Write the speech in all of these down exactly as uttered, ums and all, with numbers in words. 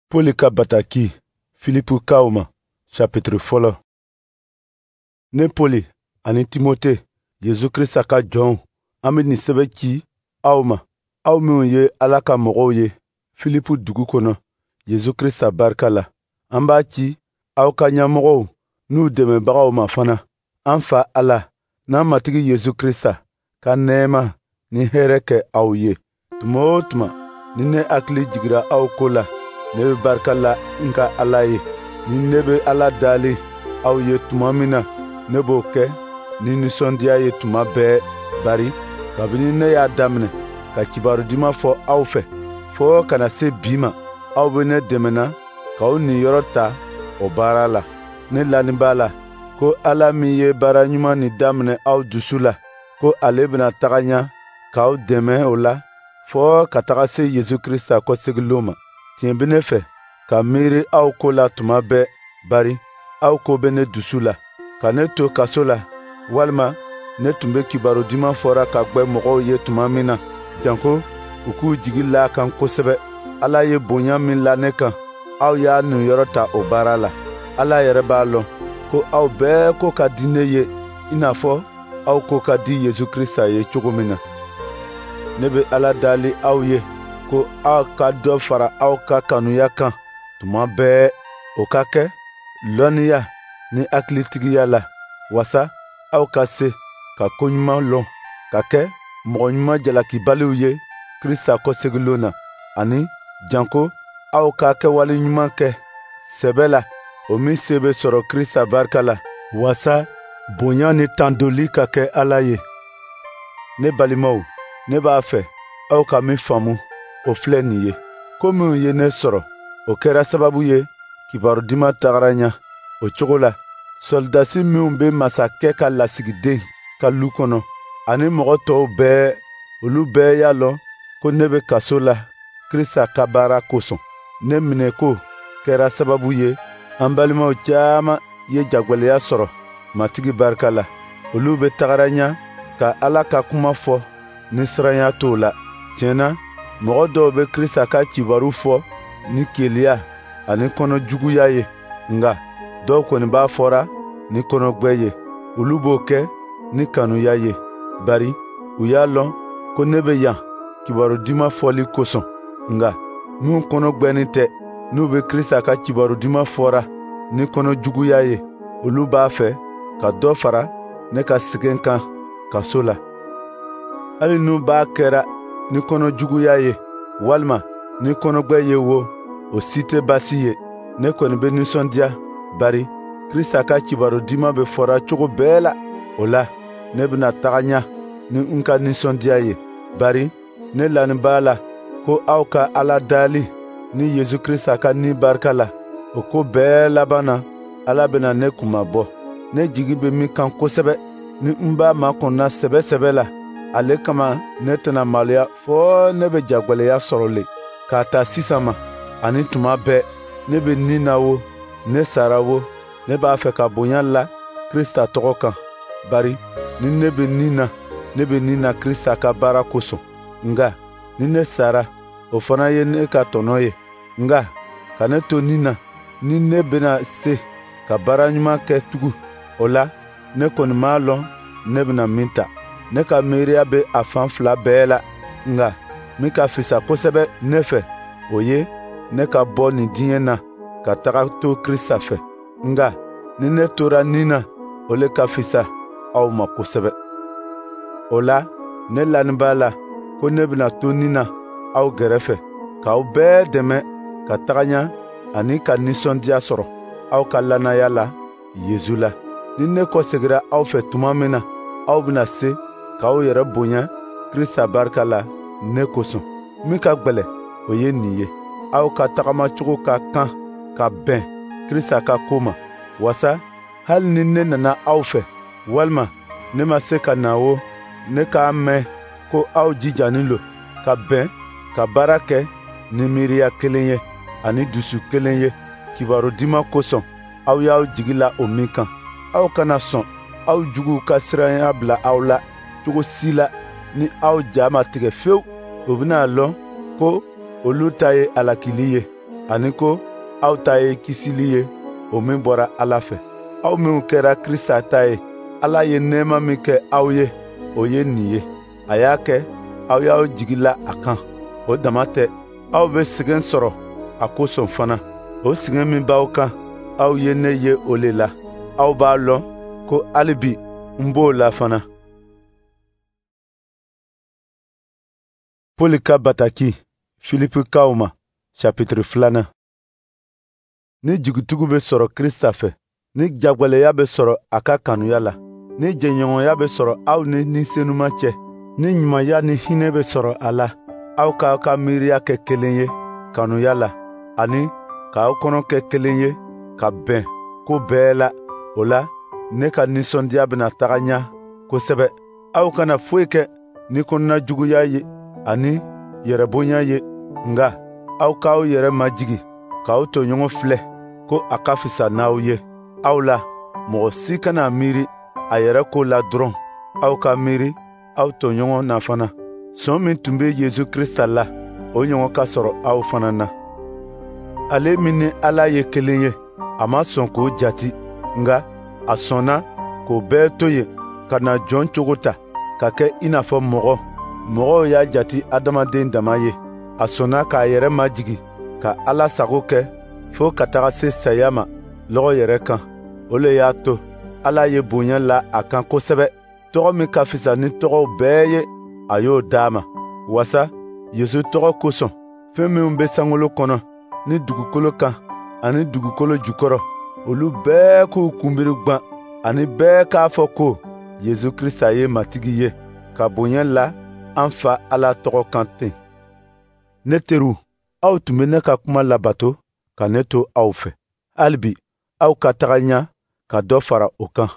Poli ka bataki Filipukaw ma, chapitre fɔlɔ. Ne Poli ani Timote, Yesu Krista ka jɔnw, an be nin sɛbɛ ci aw ma, aw minnu ye Ala ka mɔgɔw ye Filipu dugu kɔnɔ Yesu Krista barika la. An b'a ci aw ka ɲɛmɔgɔw n'u dɛmɛbagaw ma fana. An Fa Ala n'an Matigi Yesu Krista ka nɛɛma ni hɛrɛ kɛ aw ye. Tuma o tuma ni ne hakili jigira aw ko la, ne bɛ barika la n ka Ala ye. Ni ne bɛ Ala dali aw ye tuma min na, ne b'o kɛ ni nisɔndiya ye tuma bɛɛ, bari kabini ne y'a daminɛ ka kibaru duman fɔ aw fɛ fɔɔ ka na se bi ma, aw bɛ ne dɛmɛna k'aw niyɔrɔ ta o baara la. Ne lanin b'a la ko Ala min ye baara ɲuman nin daminɛ aw dusu la, ko ale bɛna taga ɲɛ k'aw dɛmɛ o la fɔɔ ka taga se Yesu Krista kɔsegilon ma. Tiɲɛ bɛ ne fɛ ka miiri aw ko la tuma bɛɛ, bari aw ko bɛ ne dusu la. Ka ne to kaso la, walima ne tun bɛ kibaru duman fɔra ka gwɛ mɔgɔw ye tuma min na, janko u k'u jigi la a kan kosɛbɛ. Ala ye bonya min la ne kan, aw y'a niyɔrɔ ta o baara la. Ala yɛrɛ b'a lɔn ko aw bɛɛ ko ka di ne ye i n'a fɔ aw ko ka di Yesu Krista ye cogo min na. Ne bɛ Ala dali aw ye ko aw ka dɔ fara aw ka kanuya kan tuma bɛɛ, o ka kɛ lɔnniya ni hakilitigiya la, wasa aw ka se ka ko ɲuman lɔn, ka kɛ mɔgɔ ɲuman jalakibaliw ye Krista kɔsegilon na, ani janko aw ka kɛwale ɲuman kɛ sɛbɛ la, o min se bɛ sɔrɔ Krista barika la, wasa bonya ni tandoli ka kɛ Ala ye. Ne balimaw, ne b'a fɛ aw ka min faamu, o filɛ nin ye: ko minnu ye ne sɔrɔ, o kɛra sababu ye kibaru duman tagara ɲɛ. O cogo la, sɔrɔdasi minnu bɛ masakɛ ka lasigiden ka lu kɔnɔ, ani mɔgɔ tɔw bɛɛ, olu bɛɛ y'a lɔn ko ne bɛ kaso la Krista ka baara kosɔn. Ne minɛko kɛra sababu ye an balimaw caman ye jagwɛlɛya sɔrɔ Matigi barika la. Olu bɛ tagara ɲɛ ka Ala ka kuma fɔ ni siranya t'o la. Tiɲɛ na, mɔgɔ dɔw bɛ Krista ka kibaru fɔ ni keleya ani kɔnɔjuguya ye, nka dɔw kɔni b'a fɔra ni kɔnɔgwɛ ye. Olu b'o kɛ ni kanuya ye, bari u y'a lɔn ko ne bɛ yan kibaru duman fɔli kosɔn. Nka minnu kɔnɔgwɛnin tɛ, n'u bɛ Krista ka kibaru duman fɔra ni kɔnɔjuguya ye, olu b'a fɛ ka dɔ fara ne ka sɛgɛn kan kaso la. Hali n'u b'a kɛra ni kɔnɔjuguya ye walima ni kɔnɔgwɛ ye wo, o si tɛ baasi ye. Ne kɔni bɛ nisɔndiya, bari Krista ka kibaru duman bɛ fɔra cogo bɛɛ la. O la, ne bɛna taga ɲɛ ni n ka nisɔndiya ye, bari ne lanin b'a la ko aw ka Ala dali ni Yesu Krista ka ni barika la, o ko bɛɛ laban na, Ala bɛna ne kunmabɔ. Ne jigi bɛ min kan kosɛbɛ, ni n b'a makɔnɔna sɛbɛ sɛbɛ la, ale kama ne tɛna maloya fɔɔ ne bɛ jagwɛlɛya sɔrɔ le. K'a ta sisan ma ani tuma bɛɛ, ne bɛ ni na wo, ne sara wo, ne b'a fɛ ka bonya la Krista tɔgɔ kan, bari ni ne bɛ ni na, ne bɛ ni na Krista ka baara kosɔn. Nka ni ne sara, o fana ye ne ka tɔnɔ ye. Nka ka ne to ni na, ni ne bɛna se ka baara ɲuman kɛ tugun, o la ne kɔni m'a lɔn ne bɛna min ta. Ne ka miiriya bɛ a fan fila bɛɛ la, nka min ka fisa kosɛbɛ ne fɛ, o ye ne ka bɔ nin diɲɛ na ka taga to Krista fɛ. Nka ni ne tora ni na, o le ka fisa aw ma kosɛbɛ. O la, ne lanin b'a la ko ne bɛna to ni na aw gɛrɛfɛ, k'aw bɛɛ dɛmɛ ka taga ɲɛ ani ka nisɔndiya sɔrɔ aw ka lannaya la Yesu la. Ni ne kɔsegira aw fɛ tuma min na, aw bɛna se k'aw yɛrɛ bonya Krista barika la ne kosɔn. Min ka gwɛlɛ, o ye nin ye: aw ka tagamacogo ka kan ka bɛn Krista ka ko ma, wasa hali ni ne nana aw fɛ, walima ne ma se ka na wo, ne k'a mɛn ko aw jijanin lo ka bɛn ka baara kɛ ni miiriya kelen ye ani dusu kelen ye kibaru duman kosɔn, aw y'aw jigi la o min kan. Aw kana sɔn aw juguw ka siranya bila aw la cogo si la ni aw ja ma tigɛ fewu. U bɛna a lɔn ko olu ta ye alakili ye. ani ko aw ta ye kisili ye, o min bɔra Ala fɛ. Aw minw kɛra Krista ta ye, Ala ye nɛɛma min kɛ aw ye, o ye nin ye. A y'a kɛ aw y'aw jigi la a kan. O dama tɛ, aw bɛ sɛgɛn sɔrɔ a kosɔn fana. O sɛgɛn min b'aw kan, aw ye ne ye o le la. Aw b'a lɔn ko hali bi n b'o la fana. Poli ka bataki Filipikaw ma, chapitre filanan. Ni jigitugu bɛ sɔrɔ Krista fɛ, ni jagwɛlɛya bɛ sɔrɔ a ka kanuya la, ni jɛɲɔgɔnya bɛ sɔrɔ aw ni Ni Senuma cɛ, ni ɲumanya ni hinɛ bɛ sɔrɔ a la, aw k'aw ka miiriya kɛ kelen ye kanuya la, ani k'aw kɔnɔ kɛ kelen ye ka bɛn ko bɛɛ la. O la, ne ka nisɔndiya bɛna taga ɲɛ kosɛbɛ. Aw kana foyi kɛ ni kɔnɔnajuguya ye ani yɛrɛbonya ye, nka aw k'aw yɛrɛ majigin k'aw tɔɲɔgɔn filɛ ko a ka fisa n'aw ye. Aw la, mɔgɔ si kana miiri a yɛrɛ ko la dɔrɔn, aw ka miiri aw tɔɲɔgɔn na fana. Sɔn min tun bɛ Yesu Krista la, o ɲɔgɔn ka sɔrɔ aw fana na. Ale min ni Ala ye kelen ye, a ma sɔn k'o jati, nka a sɔnna k'o bɛɛ to yen ka na jɔn cogo ta, ka kɛ i n'a fɔ mɔgɔ. Mɔgɔw y'a jati adamaden dama ye. A sɔnna k'a yɛrɛ majigin ka Ala sago kɛ fo ka taga se saya ma lɔgɔ yɛrɛ kan. O le y'a to Ala ye bonya la a kan kosɛbɛ. Tɔgɔ min ka fisa ni tɔgɔw bɛɛ ye, a y'o d'a ma, wasa Yesu tɔgɔ kosɔn, fɛn minw bɛ sankolo kɔnɔ ni dugukolo kan ani dugukolo jukɔrɔ, olu bɛɛ k'u kunbiri gwan, ani bɛɛ k'a fɔ ko Yesu Krista ye Matigi ye, ka bonya la an Fa Ala tɔgɔ kan ten. Ne teriw, aw tun bɛ ne ka kuma labato ka ne to aw fɛ. Halibi aw ka taga ɲɛ ka dɔ fara o kan.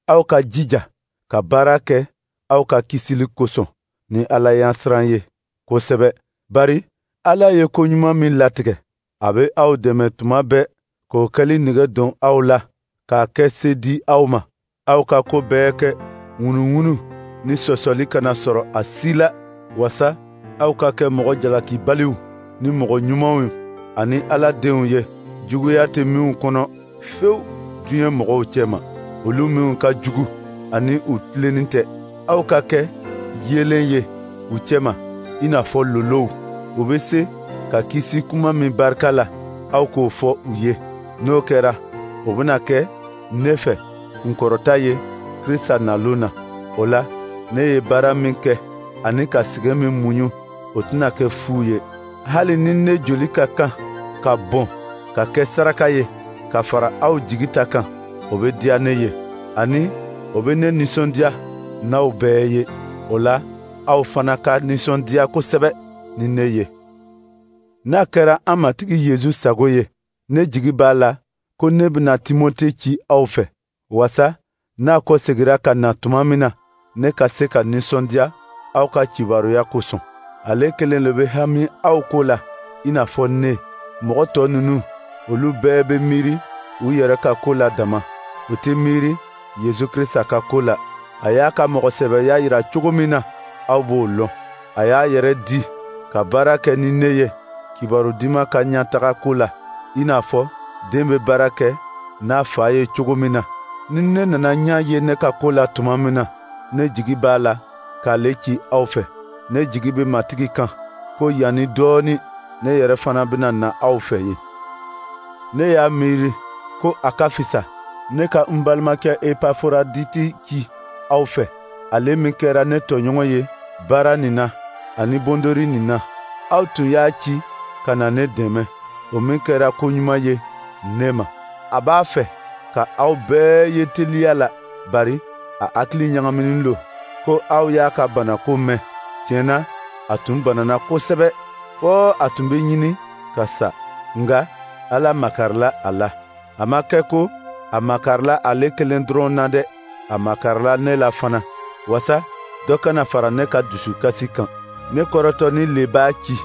Aw ka jija ka baara kɛ aw ka kisili kosɔn ni Ala ɲɛsiran ye kosɛbɛ, bari Ala ye ko ɲuman min latigɛ, a bɛ aw dɛmɛ tuma bɛɛ k'o kɛli nege don aw la, k'a kɛ se di aw ma. Aw ka ko bɛɛ kɛ ŋunuŋunu ni sɔsɔli kana sɔrɔ a si la, wasa aw ka kɛ mɔgɔ jalakibaliw ni mɔgɔ ɲumanw ani Ala denw ye, juguya tɛ minw kɔnɔ fewu diɲɛ mɔgɔw cɛma, olu minw ka jugu ani u tilennen tɛ. Aw ka kɛ yeelen ye u cɛma i n'a fɔ lolow. U bɛ se ka kisi kuma min barika la, aw k'o fɔ u ye. N'o kɛra, o bɛna kɛ ne fɛ kunkɔrɔta ye Krista nalon na. O la, ne ye baara min kɛ ani ka sɛgɛn min muɲu, o tɛna kɛ fu ye. Hali ni ne joli ka kan ka bɔn ka kɛ saraka ye ka fara aw jigi ta kan, o bɛ diya ne ye, ani o bɛ ne nisɔndiya n'aw bɛɛ ye. O la, aw fana ka nisɔndiya kosɛbɛ ni ne ye. N'a kɛra an Matigi Yesu sago ye, ne jigi b'a la ko ne bɛna Timote ci aw fɛ, wasa n'a kɔsegira ka na tuma min na, ne ka se ka nisɔndiya aw ka kibaruya kosɔn. Ale kelen le bɛ hami aw ko la i n'a fɔ ne. Mɔgɔ tɔ ninnu, olu bɛɛ bɛ miiri u yɛrɛ ka ko la dama, u tɛ miiri Yesu Krista ka ko la. A y'a ka mɔgɔsɛbɛya yira cogo min na, aw b'o lɔn. A y'a yɛrɛ di ka baara kɛ ni ne ye kibaru duman ka ɲɛtaga ko la, i n'a fɔ den bɛ baara kɛ n'a fa ye cogo min na. Ni ne nana ɲɛ ye ne ka ko la tuma min na, ne jigi b'a la k'ale ci aw fɛ. Ne jigi bɛ Matigi kan ko yanni dɔɔnin ne yɛrɛ fana bɛna na aw fɛ yen. Ne y'a miiri ko a ka fisa ne ka n balimakɛ Epaforaditi ci aw fɛ, ale min kɛra ne tɔɲɔgɔn ye baara nin na ani bondori nin na. Aw tun y'a ci ka na ne dɛmɛ, o min kɛra ko ɲuman ye ne ma. A b'a fɛ ka aw bɛɛ ye teliya la, bari a hakili ɲagaminen lo ko aw y'a ka banako mɛn. Tiɲɛ na, a tun banana kosɛbɛ fɔ a tun bɛ ɲini ka sa, nka Ala makarila a la. A ma kɛ ko a makarila ale kelen dɔrɔn na dɛ, a makarila ne la fana, wasa dɔ kana fara ne ka dusukasi kan. Ne kɔrɔtɔnin le b'a ci,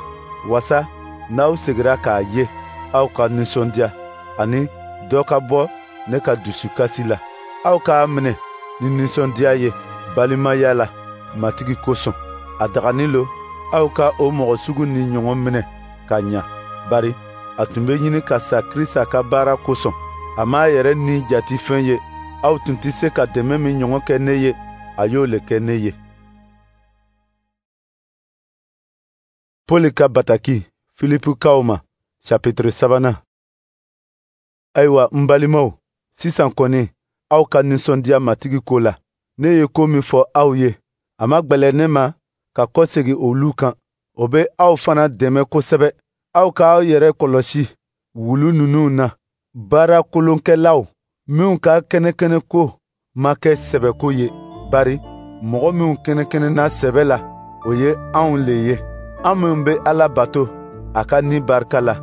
wasa n'aw segira k'a ye, aw ka nisɔndiya, ani dɔ ka bɔ ne ka dusukasi la. Aw k'a minɛ ni nisɔndiya ye balimaya la Matigi kosɔn. A dagani lo aw ka o mɔgɔ sugu ni ɲɔgɔn minɛ ka ɲa, bari A tun bɛ ɲini ka sa Krista ka baara kosɔn. A m'a yɛrɛ ni jati fɛn ye. Aw tun tɛ se ka dɛmɛ min ɲɔgɔn kɛ ne ye, a y'o le kɛ ne ye. Pɔli ka bataki Filipukaw ma, chapitre sabanan. Ayiwa n balimaw, sisan kɔni aw ka nisɔndiya Matigi ko la. Ne ye ko min fɔ aw ye, a ma gwɛlɛ ne ma ka kɔsegin olu kan. O bɛ aw fana dɛmɛ kosɛbɛ. Aw k'aw yɛrɛ kɔlɔsi wulu ninnu na, baara kolonkɛlaw minw ka kɛnɛkɛnɛko ma kɛ sɛbɛko ye, bari mɔgɔ minw kɛnɛkɛnɛna sɛbɛ la, o ye anw le ye. An minw bɛ Ala bato a ka ni barika la,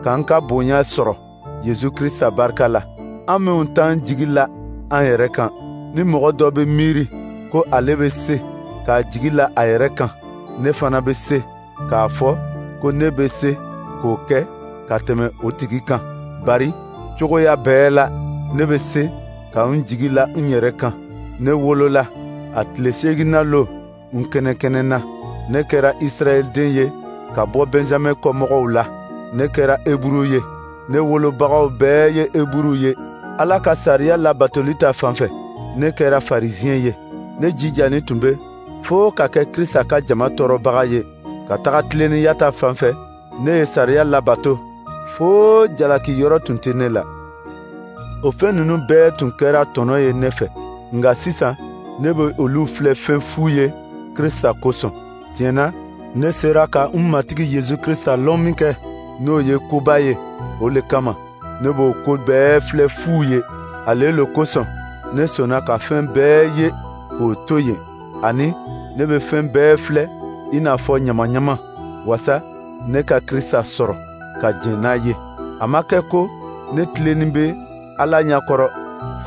k'an ka bonya sɔrɔ Yezu Krista barika la. An minw t'an jigi la an yɛrɛ kan, ni mɔgɔ dɔ bɛ miiri ko ale bɛ se k'a jigi la a yɛrɛ kan, ne fana bɛ se k'a fɔ ko ne bɛ se k'o kɛ ka tɛmɛ o tigi kan. Bari cogoya bɛɛ la, ne bɛ se ka n jigi la n yɛrɛ kan. Ne wolola a tile seeginna lon n kɛnɛkɛnɛna. Ne kɛra Israɛl den ye ka bɔ Benjamɛn kɔmɔgɔw la. Ne kɛra Eburu ye. Ne wolobagaw bɛɛ ye Eburu ye. Ala ka sariya labatoli ta fan fɛ, ne kɛra Farisiyɛn ye. Ne jijani tun bɛ fo ka kɛ Krista ka jama tɔɔrɔbaga ye. Ka taga tilennenya ta fan fɛ, ne ye sariya labato fo jalaki yɔrɔ tun tɛ ne la. O fɛn ninnu bɛɛ tun kɛra tɔnɔ ye ne fɛ, nka sisan ne bɛ olu filɛ fɛn fu ye Krista kosɔn. Tiɲɛ na, ne sera ka n Matigi Yezu Krista lɔn min kɛ, n'o ye koba ye, o le kama ne b'o ko bɛɛ filɛ fu ye. Ale le kosɔn ne sɔnna ka fɛn bɛɛ ye k'o to yen, ani ne bɛ fɛn bɛɛ filɛ i n'a fɔ ɲamaɲama, wasa ne ka Krista sɔrɔ ka jɛn n'a ye. A ma kɛ ko ne tilennin bɛ Ala ɲɛkɔrɔ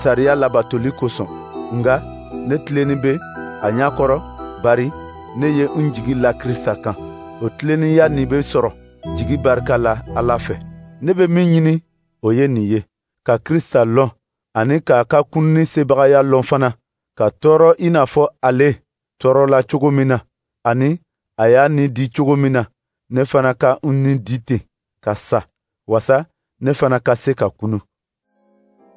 sariya labatoli kosɔn, nka ne tilennin bɛ a ɲɛkɔrɔ bari ne ye n jigi la Krista kan. O tilennenya nin bɛ sɔrɔ jigi barika la Ala fɛ. Ne bɛ min ɲini, o ye nin ye, ka Krista lɔn ani k'a ka kununni sebagaya lɔn fana, ka tɔɔrɔ i n'a fɔ ale tɔɔrɔla cogo min na, ani a y'a ni di cogo min na, ne fana ka n ni di ten ka sa, wasa ne fana ka se ka kunu.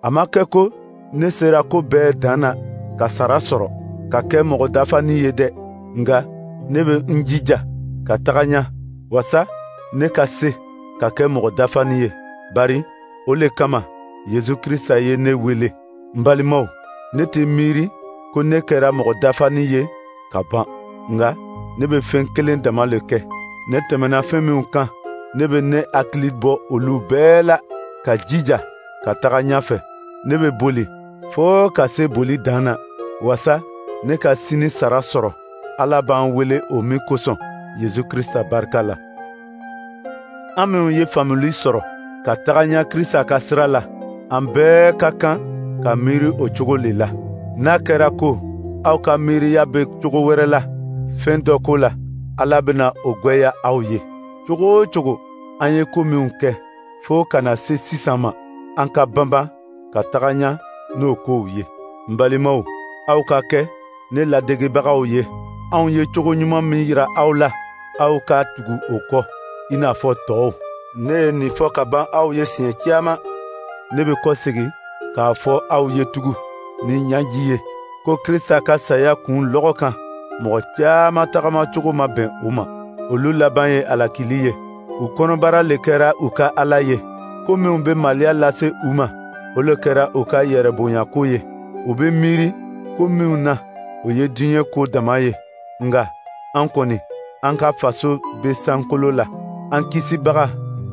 A ma kɛ ko ne sera ko bɛɛ dan na ka sara sɔrɔ, ka kɛ mɔgɔ dafani ye dɛ, nka ne bɛ n jija ka taga ɲɛ, wasa ne ka se ka kɛ mɔgɔ dafani ye, bari o le kama Yezu Krista ye ne wele. N balimaw, ne tɛ miiri ko ne kɛra mɔgɔ dafani ye ka ban, nka ne bɛ fɛn kelen dama le kɛ. Ne tɛmɛna fɛn minw kan, ne bɛ ne hakili bɔ olu bɛɛ la ka jija ka taga ɲɛfɛ. Ne bɛ boli fo ka se boli dan na, wasa ne ka sini sara sɔrɔ, Ala b'an wele o min kosɔn Yezu Krista barika la. An minw ye faamuli sɔrɔ ka taga ɲɛ Krista ka sira la, an bɛɛ ka kan ka miiri o cogo le la. N'a kɛra ko aw ka miiriya bɛ cogo wɛrɛ la fɛn dɔ ko la, Ala bɛna o gwɛya aw ye. Cogo o cogo an ye ko minw kɛ fo ka na se sisan ma, an ka banban ka taga ɲɛ n'o kow ye. N balimaw, aw ka kɛ ne ladegebagaw ye. Anw ye cogo ɲuman min yira aw la, aw ka tugu o kɔ i n'a fɔ tɔw. Ne ye nin fɔ ka ban aw ye siɲɛ caman. Ne bɛ kɔsegin k'a fɔ aw ye tugun ni ɲɛji ye ko Krista ka saya kun lɔgɔ kan, mɔgɔ caman tagamacogo ma bɛn u ma. Olu laban ye alakili ye. U kɔnɔbara le kɛra u ka Ala ye. Ko minw bɛ maloya lase u ma, o le kɛra u ka yɛrɛbonyako ye. U bɛ miiri ko minw na, o ye diɲɛ ko dama ye. Nka an kɔni, an ka faso bɛ sankolo la. An kisibaga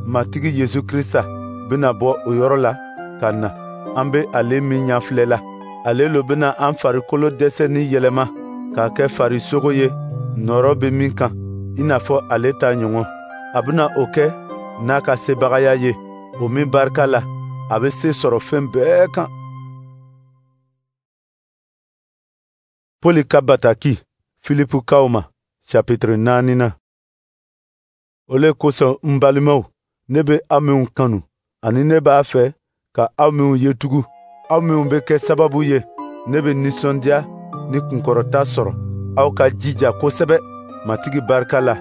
Matigi Yezu Krista bɛna bɔ o yɔrɔ la ka na. An bɛ ale min ɲɛfilɛ la, ale lo bɛna an farikolo dɛsɛni yɛlɛma k'a kɛ farisogo ye nɔrɔ bɛ min kan, i n'a fɔ ale ta ɲɔgɔn. A bɛna o kɛ n'a ka sebagaya ye, o min barika la, a bɛ se sɔrɔ fɛn bɛɛ kan. Pɔli ka bataki Filipukaw ma, chapitre naaninan. O le kosɔn n balimaw, ne bɛ aw minw kanu, ani ne b'a fɛ ka aw minw ye tugun, aw minw bɛ kɛ sababu ye, ne bɛ nisɔndiya ni kunkɔrɔta sɔrɔ. Aw ka jija kosɛbɛ Matigi barika la,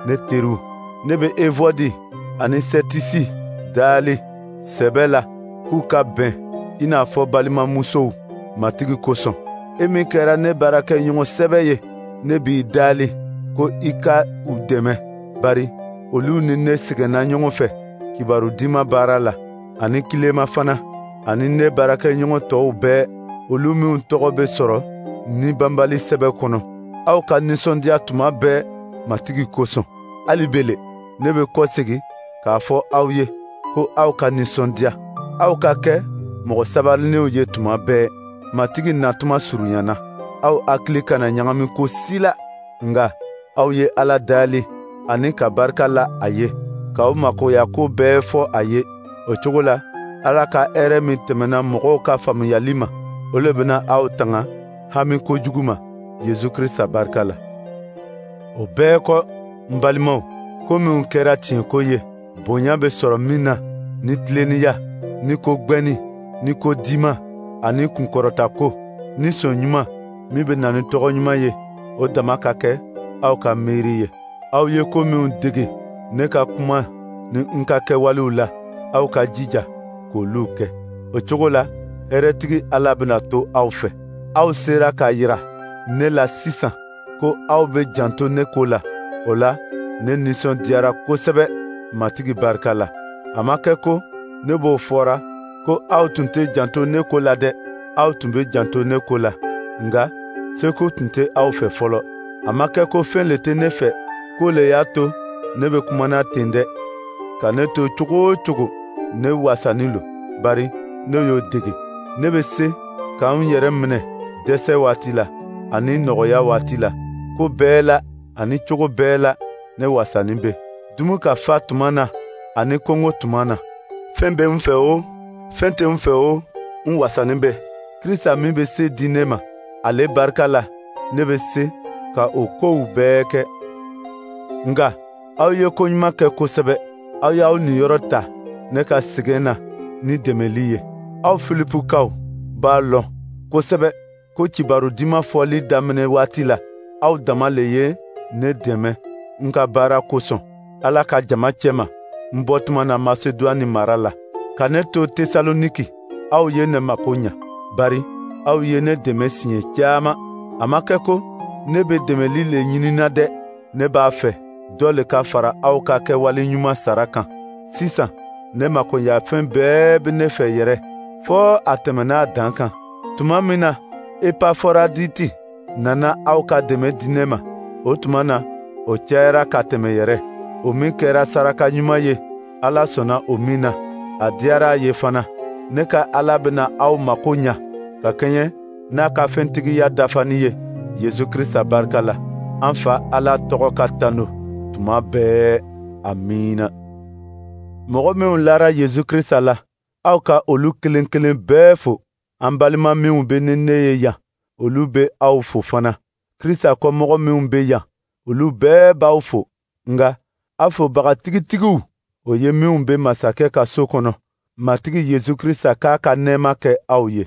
ne teriw. Ne bɛ Evɔdi ani Sɛtisi Daali sɛbɛ la k'u ka bɛn i n'a fɔ balimamusow Matigi kosɔn. E min kɛra ne baarakɛɲɔgɔn sɛbɛ ye, ne b'i daali ko i ka u dɛmɛ, bari olu ni ne sɛgɛnna ɲɔgɔn fɛ kibaru diman baara la, ani Kilema fana, ani ne baarakɛɲɔgɔn tɔw bɛɛ, olu minw tɔgɔ bɛ sɔrɔ ni banbali sɛbɛ kɔnɔ. Aw ka nisɔndiya tuma bɛɛ Matigi kosɔn. Hali bele, ne bɛ kɔsegin k'a fɔ aw ye ko aw ka nisɔndiya. Aw ka kɛ mɔgɔ sabalilenw ye tuma bɛɛ. Matigi natuma surunyana. Aw hakili kana ɲagami ko si la, nka aw ye Ala daali ani ka barika la a ye, k'aw makoya ko bɛɛ fɔ a ye. O cogo la, Ala ka hɛrɛ min tɛmɛna mɔgɔw ka faamuyali ma, o le bɛna aw tanga hami kojugu ma Yesu Krista barika la. O bɛɛ kɔ, n balimaw, ko minnu kɛra tiɲɛko ye, bonya bɛ sɔrɔ min na, ni tilennenya, ni ko gwɛnni, ni ko diman, ani kunkɔrɔtako, ni sɔn ɲuman min bɛ na ni tɔgɔ ɲuman ye, o dama ka kɛ aw ka miiri ye. Aw ye ko minw dege ne ka kuma ni n ka kɛwalew la, aw ka jija k'olu kɛ. O cogo la, hɛrɛtigi Ala bɛna to aw fɛ. Aw sera k'a yira ne la sisan ko aw bɛ janto ne ko la. O la, ne nisɔndiyara kosɛbɛ Matigi barika la. A ma kɛ ko ne b'o fɔra ko aw tun tɛ janto ne ko la dɛ, aw tun bɛ janto ne ko la, nka seko tun tɛ aw fɛ fɔlɔ. A ma kɛ ko fɛn le tɛ ne fɛ k'o le y'a to ne bɛ kumana ten dɛ. Ka ne to cogo o cogo, ne wasanin lo, bari ne y'o dege. Ne bɛ se ka n yɛrɛ minɛ dɛsɛ waati la ani nɔgɔya waati la. Ko bɛɛ la ani cogo bɛɛ la, ne wasanin bɛ. Dumu ka fa tuma na ani kɔngɔ tuma na. Fɛn bɛ n fɛ o, fɛn tɛ n fɛ o, n wasanin bɛ. Krista min bɛ se di ne ma, ale barika la, ne bɛ se ka o kow bɛɛ kɛ. Nka aw ye ko ɲuman kɛ kosɛbɛ. Aw y'aw niyɔrɔ ta ne ka sɛgɛn na ni dɛmɛli ye. Aw Filipukaw b'a lɔn kosɛbɛ ko kibaru diman fɔli daminɛ waati la, aw dama le ye ne dɛmɛ n ka baara kosɔn Ala ka jama cɛma n bɔtuma na Masedwani mara la. Ka ne to Tesaloniki, aw ye ne mako ɲa, bari aw ye ne dɛmɛ siɲɛ caman. A ma kɛ ko ne bɛ dɛmɛli le ɲinina dɛ, ne b'a fɛ dɔ le ka fara aw ka kɛwale ɲuman sara kan. Sisan ne makoɲafɛn bɛɛ bɛ ne fɛ yɛrɛ, fɔ a tɛmɛna a dan kan. Tuma min na Epaforaditi nana aw ka dɛmɛ di ne ma, o tuma na o cayara ka tɛmɛ yɛrɛ. O min kɛra saraka ɲuman ye, Ala sɔnna o min na, a diyara a ye fana. Ne ka Ala bɛna aw mako ɲa ka kɛɲɛ n'a ka fɛntigiya dafani ye Yesu Krista barika la. An Fa Ala tɔgɔ ka tanu tuma bɛɛ. Amiina. Mɔgɔ minw lara Yesu Krista la, aw ka olu kelen kelen bɛɛ fo. An balima minw bɛ ni ne ye yan, olu bɛ aw fo fana. Krista kɔmɔgɔ minw bɛ yan, olu bɛɛ b'aw fo. Nka aw fobaga tigitigiw, o ye minw bɛ masakɛ ka so kɔnɔ. Matigi Yesu Krista k'a ka nɛɛma kɛ aw ye.